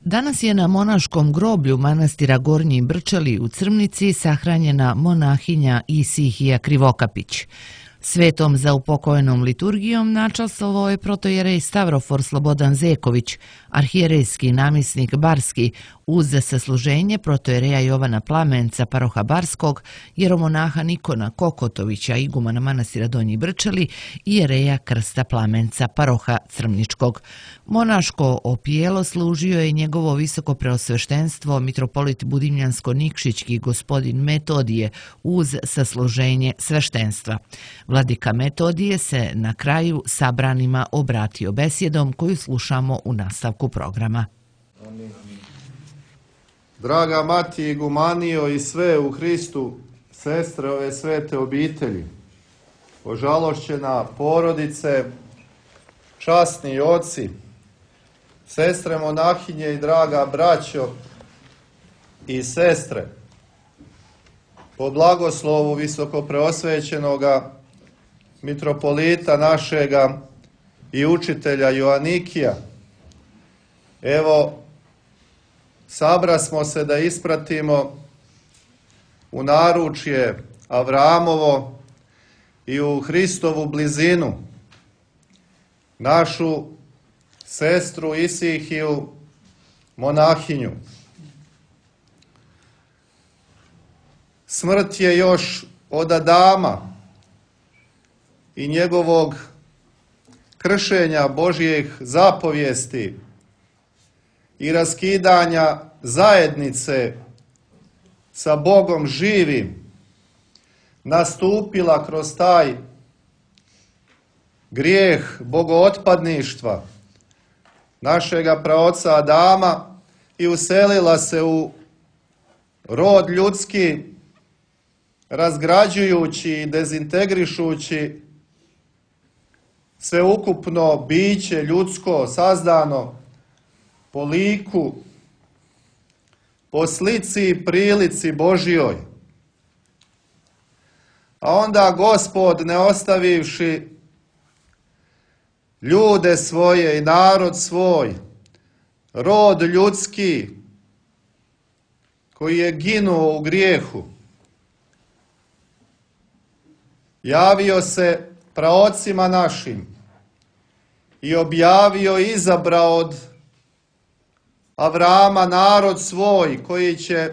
Danas je na monaškom groblju manastira Gornji Brčeli u Crmnici sahranjena monahinja Isihija Krivokapić. Svetom za upokojenom liturgijom načastvovao je protojerej Stavrofor Slobodan Zeković, arhijerejski namjesnik Barski, uz sasluženje protojereja Jovana Plamenca paroha Barskog, jeromonaha Nikona Kokotovića, igumana manastira Donji Brčeli i jereja Krsta Plamenca paroha Crmničkog. Monaško opijelo služio je njegovo visoko preosveštenstvo mitropolit Budimljansko-Nikšićki gospodin Metodije uz sasluženje sveštenstva. Vladika Metodije se na kraju sabranima obratio besjedom koju slušamo u nastavku programa. Draga mati igumanijo i sve u Hristu, sestre ove svete obitelji, ožalošćena porodice, časni oci, sestre monahinje i draga braćo i sestre, po blagoslovu visokopreosvećenoga mitropolita našega i učitelja Joanikija, evo, sabrasmo se da ispratimo u naručje Avramovo i u Hristovu blizinu našu sestru Isihiju monahinju. Smrt je još od Adama i njegovog kršenja Božjih zapovijesti i raskidanja zajednice sa Bogom živim nastupila kroz taj grijeh bogootpadništva našega praoca Adama i uselila se u rod ljudski, razgrađujući i dezintegrišući sveukupno biće ljudsko sazdano po liku, po slici i prilici Božjoj. A onda Gospod, ne ostavivši ljude svoje i narod svoj, rod ljudski koji je ginuo u grijehu, javio se praocima našim i objavio i izabrao od Avrama narod svoj koji će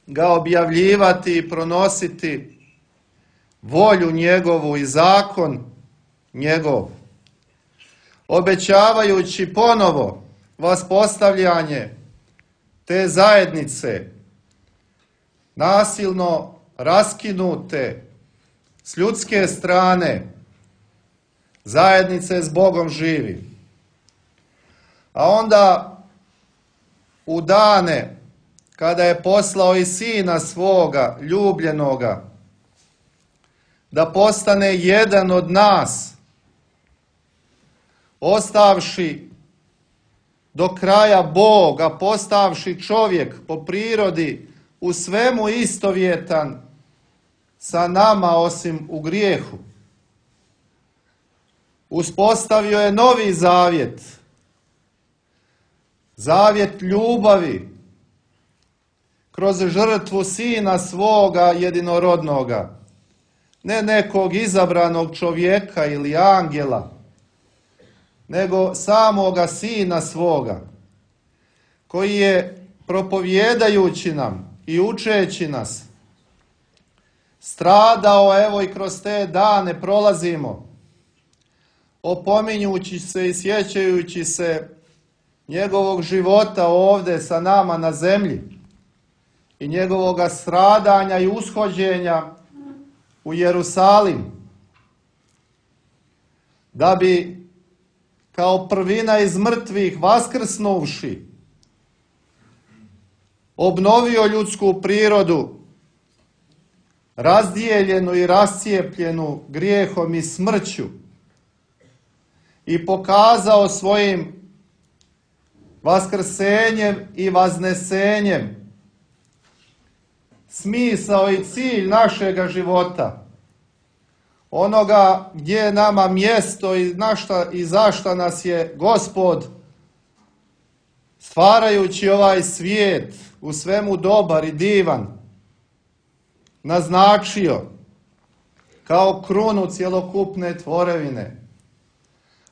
ga objavljivati i pronositi volju njegovu i zakon njegov, obećavajući ponovo vaspostavljanje te zajednice nasilno raskinute s ljudske strane, zajednice s Bogom živi. A onda u dane kada je poslao i Sina svoga ljubljenoga da postane jedan od nas, ostavši do kraja Boga, postavši čovjek po prirodi u svemu istovjetan sa nama osim u grijehu, uspostavio je novi zavjet, zavjet ljubavi kroz žrtvu Sina svoga jedinorodnoga, ne nekog izabranog čovjeka ili angela, nego samoga Sina svoga, koji je propovjedajući nam i učeći nas stradao, evo i kroz te dane prolazimo, opominjući se i sjećajući se njegovog života ovdje sa nama na zemlji i njegovoga stradanja i ushođenja u Jerusalim, da bi kao prvina iz mrtvih vaskrsnuvši obnovio ljudsku prirodu, razdijeljenu i rascijepljenu grijehom i smrću, i pokazao svojim vaskrsenjem i vaznesenjem smisao i cilj našega života, onoga gdje je nama mjesto i zašta nas je Gospod stvarajući ovaj svijet u svemu dobar i divan, naznačio kao krunu cjelokupne tvorevine.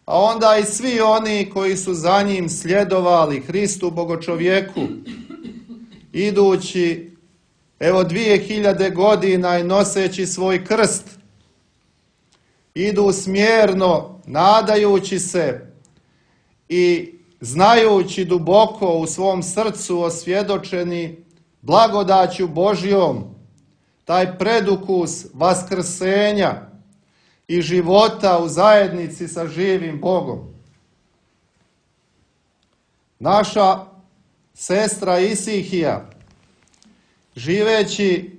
A onda i svi oni koji su za njim sljedovali, Hristu Bogočovjeku, idući evo 2000 godina i noseći svoj krst, idu smjerno, nadajući se i znajući duboko u svom srcu osvjedočeni blagodaću Božjom, taj predukus vaskrsenja i života u zajednici sa živim Bogom. Naša sestra Isihija, živeći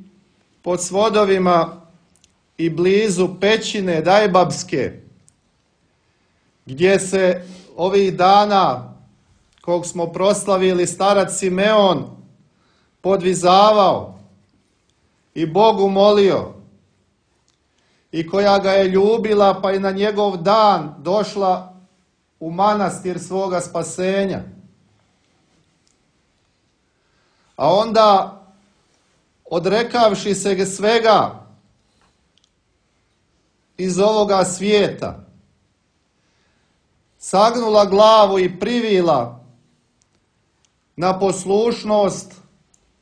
pod svodovima i blizu pećine Dajbabske, gdje se ovih dana, kog smo proslavili, starac Simeon podvizavao i Bogu molio, i koja ga je ljubila, pa i na njegov dan došla u manastir svoga spasenja. A onda, odrekavši se svega iz ovoga svijeta, sagnula glavu i privila na poslušnost,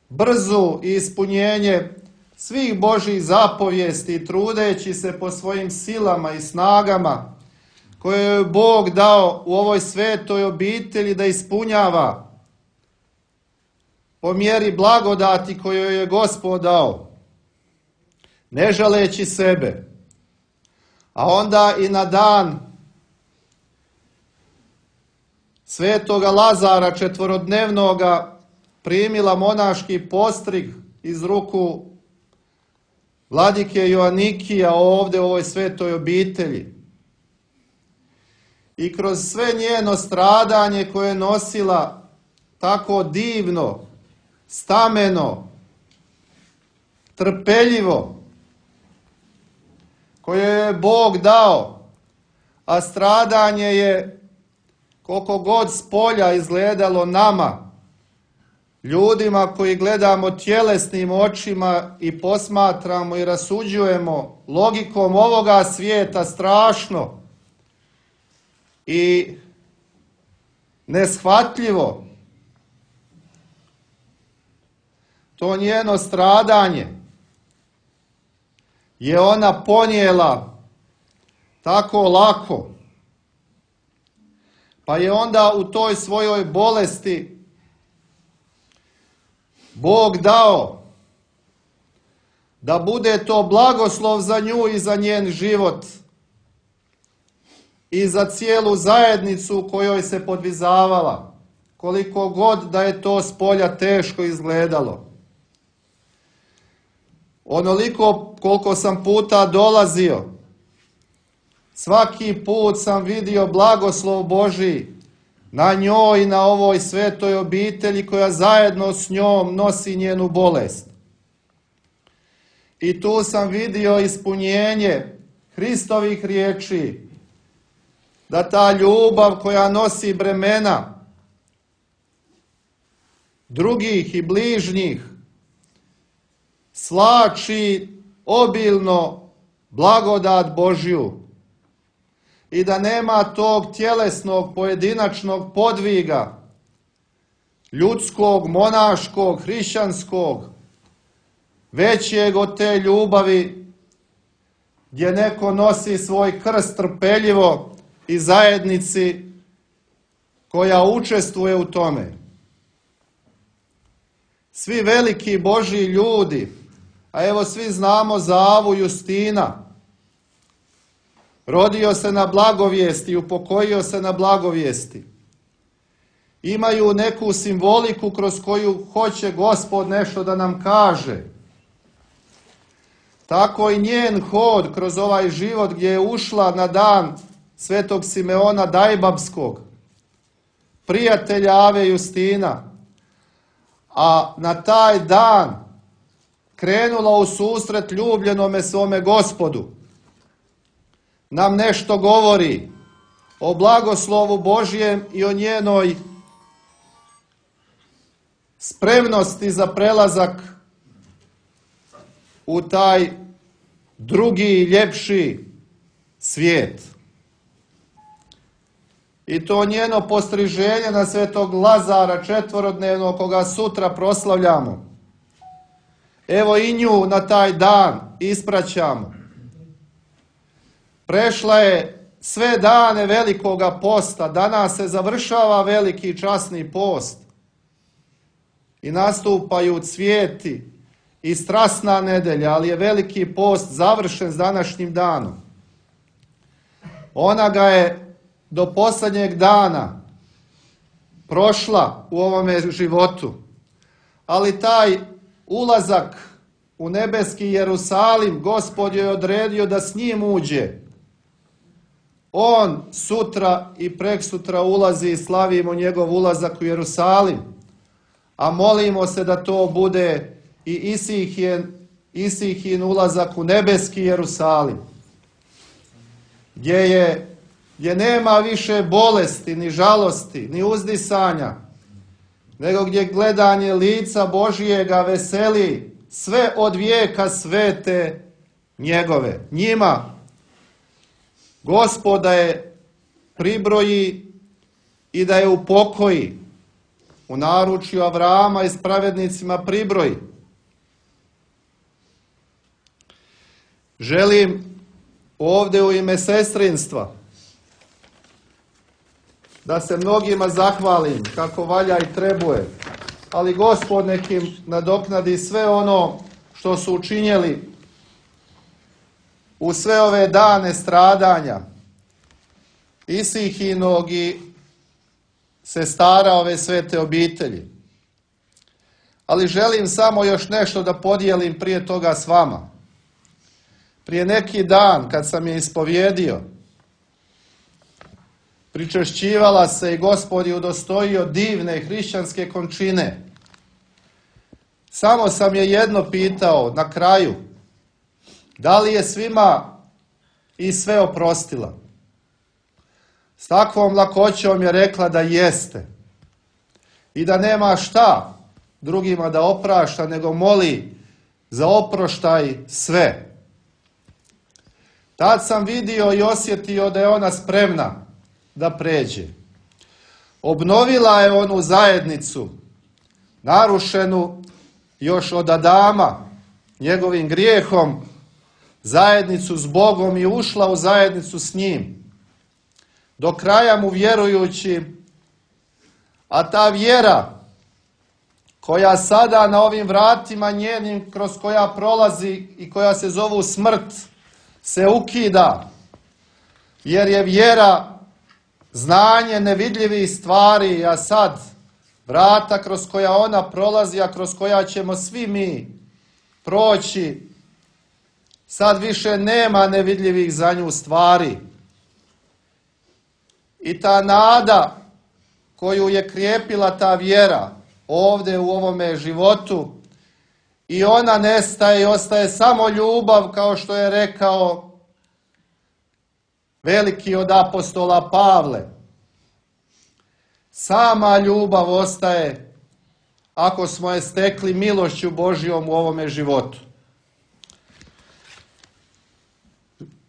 brzu i ispunjenje svih Božjih zapovijesti, trudeći se po svojim silama i snagama koje je Bog dao u ovoj svetoj obitelji da ispunjava po mjeri blagodati koju je Gospod dao, ne žaleći sebe. A onda i na dan svetoga Lazara četvorodnevnoga primila monaški postrig iz ruku vladike Joanikija ovdje u ovoj svetoj obitelji. I kroz sve njeno stradanje koje je nosila tako divno, stameno, trpeljivo, koje je Bog dao, a stradanje je, koliko god s polja izgledalo nama, ljudima koji gledamo tjelesnim očima i posmatramo i rasuđujemo logikom ovoga svijeta, strašno i neshvatljivo, to njeno stradanje je ona ponijela tako lako, pa je onda u toj svojoj bolesti Bog dao da bude to blagoslov za nju i za njen život i za cijelu zajednicu u kojoj se podvizavala, koliko god da je to s polja teško izgledalo. Onoliko koliko sam puta dolazio, svaki put sam vidio blagoslov Božji na njoj i na ovoj svetoj obitelji koja zajedno s njom nosi njenu bolest. I tu sam vidio ispunjenje Hristovih riječi, da ta ljubav koja nosi bremena drugih i bližnjih slači obilno blagodat Božju i da nema tog tjelesnog pojedinačnog podviga, ljudskog, monaškog, hrišćanskog, većeg od te ljubavi gdje neko nosi svoj krst trpeljivo i zajednici koja učestvuje u tome. Svi veliki Božji ljudi, a evo svi znamo za Avu Justina, rodio se na blagovijesti, upokojio se na blagovijesti, imaju neku simboliku kroz koju hoće Gospod nešto da nam kaže. Tako i njen hod kroz ovaj život gdje je ušla na dan svetog Simeona Dajbabskog, prijatelja Ave Justina, a na taj dan krenula u susret ljubljenome svome Gospodu, nam nešto govori o blagoslovu Božjem i o njenoj spremnosti za prelazak u taj drugi, ljepši svijet. I to njeno postriženje na svetog Lazara četvorodnevnog, koga sutra proslavljamo. Evo i nju na taj dan ispraćamo. Prešla je sve dane velikoga posta, danas se završava veliki časni post i nastupaju cvijeti i strasna nedelja, ali je veliki post završen s današnjim danom. Ona ga je do posljednjeg dana prošla u ovome životu, ali taj ulazak u nebeski Jerusalim Gospod joj je odredio da s njim uđe. On sutra i preksutra ulazi i slavimo njegov ulazak u Jerusalim, a molimo se da to bude i Isihin ulazak u nebeski Jerusalim, gdje nema više bolesti, ni žalosti, ni uzdisanja, nego gdje gledanje lica Božijega veseli sve od vijeka svete njegove. Njima Gospoda je pribroji i da je upokoji, u naručju Avrama i s pravednicima pribroji. Želim ovdje u ime sestrinstva da se mnogima zahvalim kako valja i trebuje, ali Gospod nekim nadoknadi sve ono što su učinjeli u sve ove dane stradanja Isihinog i sestara ove svete obitelji. Ali želim samo još nešto da podijelim prije toga s vama. Prije neki dan kad sam je ispovjedio, pričešćivala se i Gospod je udostojio divne hrišćanske končine. Samo sam je jedno pitao na kraju, da li je svima i sve oprostila? S takvom lakoćom je rekla da jeste i da nema šta drugima da oprašta, nego moli za oproštaj sve. Tad sam vidio i osjetio da je ona spremna da pređe. Obnovila je onu zajednicu, narušenu još od Adama, njegovim grijehom, zajednicu s Bogom i ušla u zajednicu s njim. Do kraja mu vjerujući, a ta vjera koja sada na ovim vratima njenim kroz koja prolazi i koja se zovu smrt, se ukida, jer je vjera znanje nevidljivih stvari, a sad vrata kroz koja ona prolazi, a kroz koja ćemo svi mi proći, sad više nema nevidljivih za nju stvari. I ta nada koju je krijepila ta vjera ovdje u ovome životu, i ona nestaje i ostaje samo ljubav, kao što je rekao veliki od apostola Pavle. Sama ljubav ostaje ako smo je stekli milošću Božjom u ovome životu.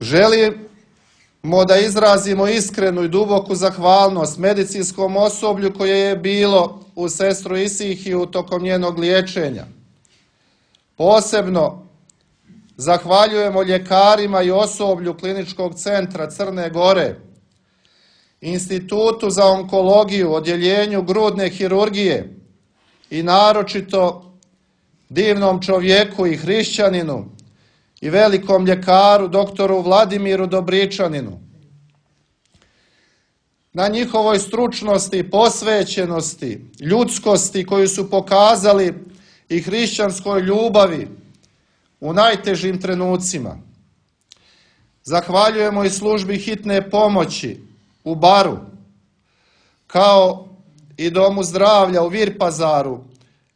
Želimo da izrazimo iskrenu i duboku zahvalnost medicinskom osoblju koje je bilo u sestru Isihiju tokom njenog liječenja. Posebno zahvaljujemo ljekarima i osoblju Kliničkog centra Crne Gore, Institutu za onkologiju, odjeljenju grudne hirurgije i naročito divnom čovjeku i hrišćaninu i velikom ljekaru doktoru Vladimiru Dobričaninu. Na njihovoj stručnosti, posvećenosti, ljudskosti koju su pokazali i hrišćanskoj ljubavi u najtežim trenucima. Zahvaljujemo i službi hitne pomoći u Baru, kao i Domu zdravlja u Virpazaru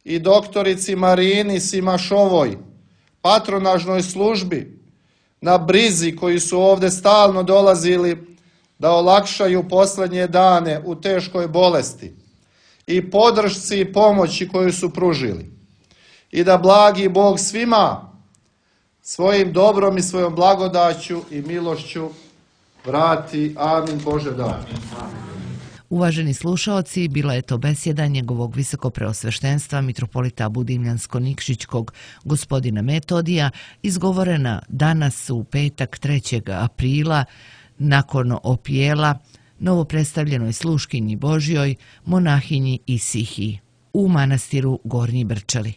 i doktorici Marini Simašovoj, patronažnoj službi na brizi koji su ovdje stalno dolazili da olakšaju posljednje dane u teškoj bolesti. i podršci i pomoći koju su pružili. I da blagi Bog svima svojim dobrom i svojom blagodaću i milošću vrati. Amin. Bože da. Uvaženi slušaoci, bila je to besjeda njegovog visokopreosveštenstva mitropolita Budimljansko-Nikšićkog gospodina Metodija, izgovorena danas u petak 3. aprila nakon opijela novopredstavljenoj sluškinji Božjoj, monahinji Isihiji u manastiru Gornji Brčali.